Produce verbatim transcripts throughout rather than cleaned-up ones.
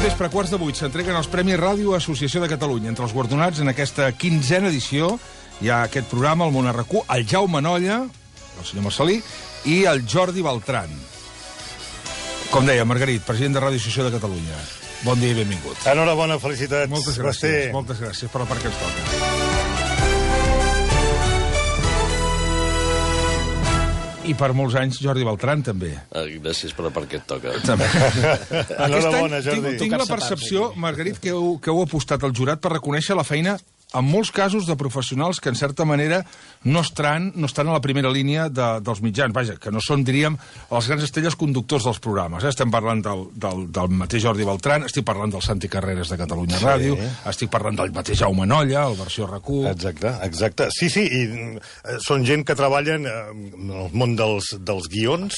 vespre, quarts de vuit, s'entreguen els Premis Ràdio Associació de Catalunya. Entre els guardonats en aquesta quinzena edició hi ha aquest programa, el Món R Q, el Jaume Nolla, el senyor Marcelí, i el Jordi Beltran. Com deia, Margarit, president de Ràdio Associació de Catalunya. Bon dia i benvingut. Enhorabona, felicitats. Moltes gràcies, moltes gràcies per la part que ens toca. I per molts anys, Jordi Beltran, també. Ah, gràcies per la part que et toca. També. Enhorabona, Jordi. Tinc, tinc la percepció, Margarit, que heu, que heu apostat al jurat per reconèixer la feina, en molts casos, de professionals que, en certa manera, no estan, no estan a la primera línia de, dels mitjans. Vaja, que no són, diríem, les grans estrelles conductors dels programes. Eh? Estem parlant del, del, del mateix Jordi Beltran, estic parlant del Santi Carreras de Catalunya sí. Ràdio, estic parlant del mateix Jaume Nolla, el versió R Q... Exacte, exacte. Sí, sí, i són gent que treballen en el món dels, dels guions,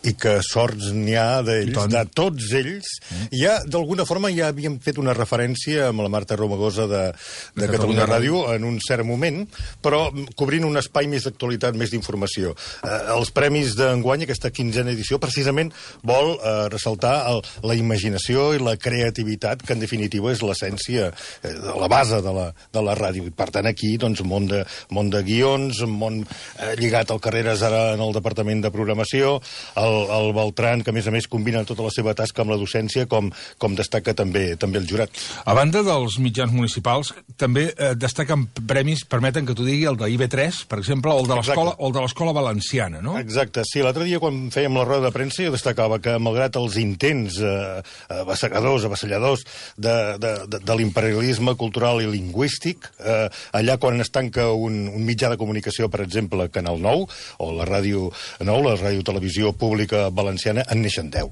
i que sorts n'hi ha d'ells, de tots ells. Mm. Ja, d'alguna forma, ja havíem fet una referència amb la Marta Romagosa de, de, de Catalunya, Catalunya Ràdio en un cert moment, però cobrint un espai més d'actualitat, més d'informació. Eh, els premis d'enguany, aquesta quinzena edició, precisament vol eh, ressaltar el, la imaginació i la creativitat, que en definitiva és l'essència, eh, la base de la, de la ràdio. I per tant, aquí, doncs, món de, món de guions, món eh, lligat al Carreras ara en el Departament de Programació, el El, el Beltran, que a més a més combina tota la seva tasca amb la docència, com, com destaca també també el jurat. A banda dels mitjans municipals, també eh, destaquen premis, permeten que t'ho digui, el de I B tres, per exemple, o el de l'escola o el de l'escola valenciana, no? Exacte, sí. L'altre dia, quan fèiem la roda de premsa, jo destacava que, malgrat els intents eh, avassegadors, avassalladors de, de, de, de l'imperialisme cultural i lingüístic, eh, allà quan es tanca un, un mitjà de comunicació, per exemple, Canal nou, o la Ràdio nou, la Ràdio Televisió Pública Valenciana, en neixen deu.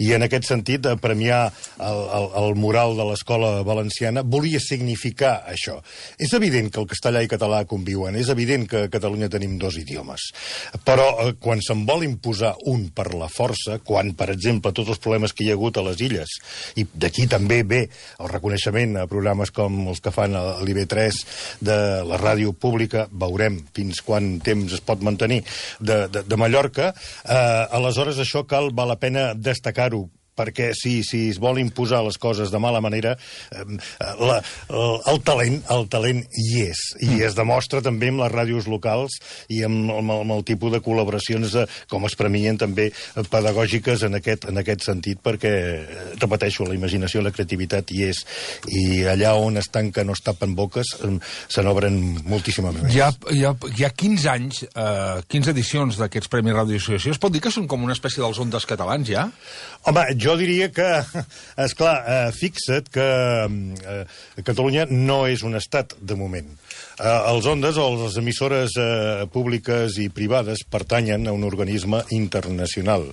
I en aquest sentit, de premiar el, el, el mural de l'escola valenciana volia significar això. És evident que el castellà i català conviuen, és evident que a Catalunya tenim dos idiomes, però eh, quan se'n vol imposar un per la força, quan, per exemple, tots els problemes que hi ha hagut a les illes, i d'aquí també ve el reconeixement a programes com els que fan a l'I B tres de la ràdio pública, veurem fins quant temps es pot mantenir, de, de, de Mallorca, eh, a aleshores això cal, val la pena destacar-ho, perquè si, si es vol imposar les coses de mala manera, eh, la, el, el talent el talent hi és, i es demostra també amb les ràdios locals i amb, amb, amb el tipus de col·laboracions de, com es premien també pedagògiques en aquest, en aquest sentit, perquè, repeteixo, la imaginació i la creativitat hi és, i allà on es tanquen o es tapen boques se n'obren moltíssimes més. Hi ha, hi ha, hi ha quinze anys, eh, quinze edicions d'aquests Premis Ràdio Associació. Es pot dir que són com una espècie dels Ondes catalans, ja? Home, jo diria que, esclar, eh, fixa't que eh, Catalunya no és un estat, de moment. Eh, els Ondes o les emissores eh, públiques i privades pertanyen a un organisme internacional.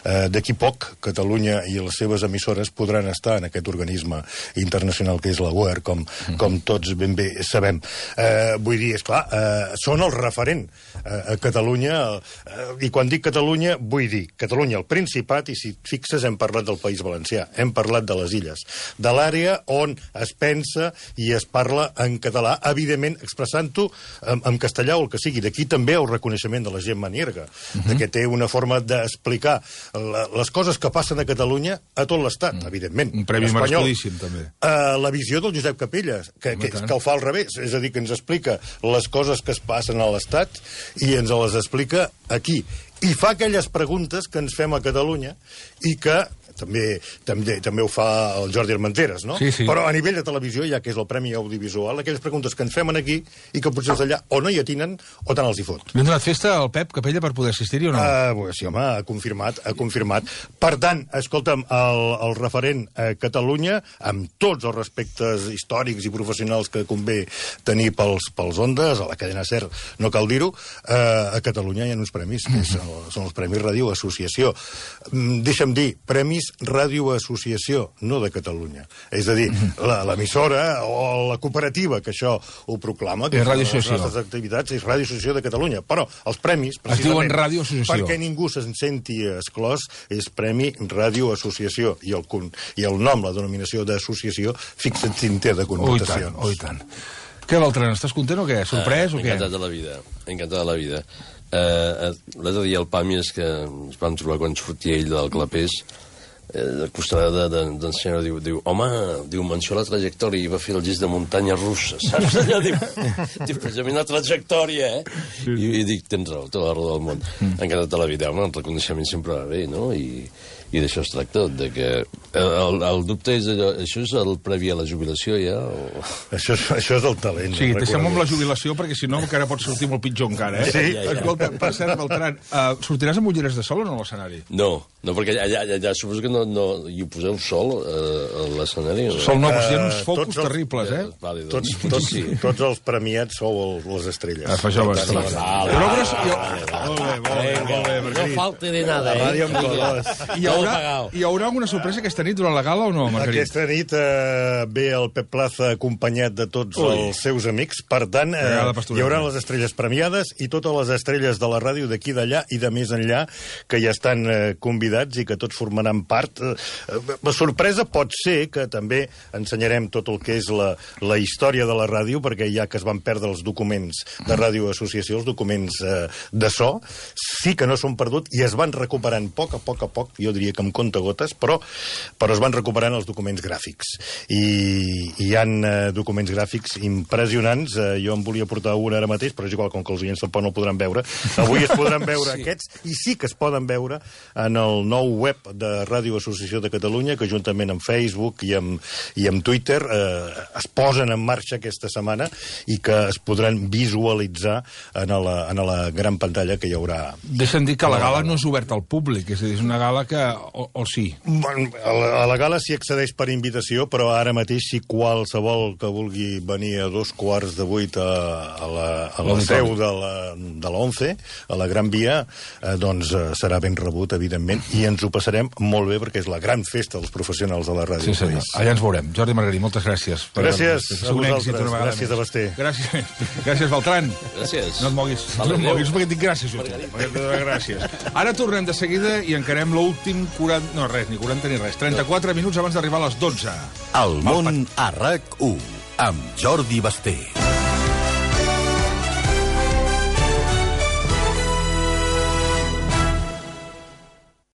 Eh, D'aquí poc, Catalunya i les seves emissores podran estar en aquest organisme internacional que és la U E R, com, com tots ben bé sabem. Eh, vull dir, esclar, eh, són el referent eh, a Catalunya, eh, i quan dic Catalunya, vull dir Catalunya, el Principat, i si fixes hem parlat del País Valencià, hem parlat de les illes, de l'àrea on es pensa i es parla en català, evidentment expressant-ho en, en castellà o el que sigui. D'aquí també el reconeixement de la Gemma Nierga, uh -huh. que té una forma d'explicar la, les coses que passen a Catalunya a tot l'Estat, uh -huh. evidentment. Un premi merescudíssim, també. Uh, la visió del Josep Capelles, que, que, que el fa al revés, és a dir, que ens explica les coses que es passen a l'Estat i ens les explica aquí. I fa aquelles preguntes que ens fem a Catalunya i que també, també, també ho fa el Jordi Armenteres, no? Sí, sí. Però a nivell de televisió, ja que és el Premi Audiovisual, aquelles preguntes que ens fem aquí i que potser allà o no hi atinen o tant els hi fot. Li han donat festa al Pep Capella per poder assistir-hi o no? Uh, pues, sí, home, ha confirmat, ha confirmat. Per tant, escolta'm, el, el referent a Catalunya, amb tots els respectes històrics i professionals que convé tenir pels, pels Ondes, a la cadena SER, no cal dir-ho, uh, a Catalunya hi ha uns premis, que és, són els Premis Ràdio Associació. Mm, deixa'm dir, Premis Ràdio Associació, no de Catalunya. És a dir, l'emissora o la cooperativa que això ho proclama, que és Ràdio les nostres activitats, és Ràdio Associació de Catalunya. Però els premis, precisament, es diuen Ràdio Associació, perquè ningú se'n senti exclòs, és Premi Ràdio Associació. I el, i el nom, la denominació d'associació, fixa't si en té de connotacions. Oh, i tant, oh, i tant. Què, Beltran, estàs content o què? Sorprès uh, o què? Encantat de la vida, encantat de la vida. Uh, L'altre dia el Pàmies, que ens vam trobar quan sortia ell del Clapés, el costarà d'en de, de, senyor diu, diu, home, diu, menció la trajectòria i va fer el gest de muntanya russa, saps? Allò diu, diu, precisament la trajectòria, eh? Sí. I, I dic, tens raó, tota la raó del món. Mm. Encara tota la vida, home, el reconeixement sempre va bé, no? I, i d'això es tracta, de que el, el dubte és allò, això és el previ a la jubilació ja? O... Això, és, això és el talent. Sí, deixem amb la jubilació, perquè si no encara pot sortir molt pitjor encara, eh? Sí. Ja, ja. Escolta, per cert, Beltran, uh, sortiràs amb ulleres de sol o no a l'escenari? No, no, perquè allà, allà, allà suposo que no, no hi poseu sol uh, a l'escenari. No? Sol no, però hi ha uns Uh, focus tots els- terribles, eh? Vale, Tots, doncs, tots, sí. tots els premiats sou el, les estrelles. Ah, fa això Vale, bastant. vale, Però vale, jo- vale, Molt bé, molt bé, molt bé, No Margarit. falte de nada, La ràdio eh? amb colors. Hi haurà, hi haurà alguna sorpresa aquesta nit durant la gala o no, Margarit? Aquesta nit eh, ve el Pep Plaza acompanyat de tots Ui. els seus amics. Per tant, eh, Regala pastoreta. hi haurà les estrelles premiades i totes les estrelles de la ràdio d'aquí d'allà i de més enllà que ja estan eh, convidats i que tots formaran part. Eh, la sorpresa pot ser que també ensenyarem tot el que és la, la història de la ràdio, perquè ja que es van perdre els documents de Ràdio Associació, els documents eh, de so, sí que no són perdut i es van recuperant a poc a poc a poc, jo diria que amb comptagotes, però, però es van recuperant els documents gràfics. I hi ha eh, documents gràfics impressionants. Eh, jo en volia portar un ara mateix, però és igual, com que els oients tampoc no el podran veure. Avui es podran veure sí. aquests, i sí que es poden veure en el nou web de Ràdio Associació de Catalunya, que juntament amb Facebook i amb, i amb Twitter eh, es posen en marxa aquesta setmana i que es podran visualitzar en la, en la gran pantalla que hi haurà. Deixa'm dir que la gala no és oberta al públic, és a dir, és una gala que... O, o sí? Bueno, a la, a la gala s'hi accedeix per invitació, però ara mateix si qualsevol que vulgui venir a dos quarts de vuit a, a la, a la seu de la, de la ONCE, a la Gran Via, eh, doncs eh, serà ben rebut, evidentment, i ens ho passarem molt bé perquè és la gran festa dels professionals de la ràdio. Sí, senyor. Allà ens veurem. Jordi Margarit, moltes gràcies. Per Gràcies per, per, a un vosaltres. èxit una vegada Gràcies més. a Basté. Gràcies, gràcies Beltran. Gràcies. No et moguis. Vale, no et moguis adéu. perquè et dic gràcies, jo. Gràcies. Ara tornem de seguida i encarem l'últim quaranta... No, res, ni quaranta ni res. trenta-quatre minuts abans d'arribar a les dotze. El món a RAC u amb Jordi Basté.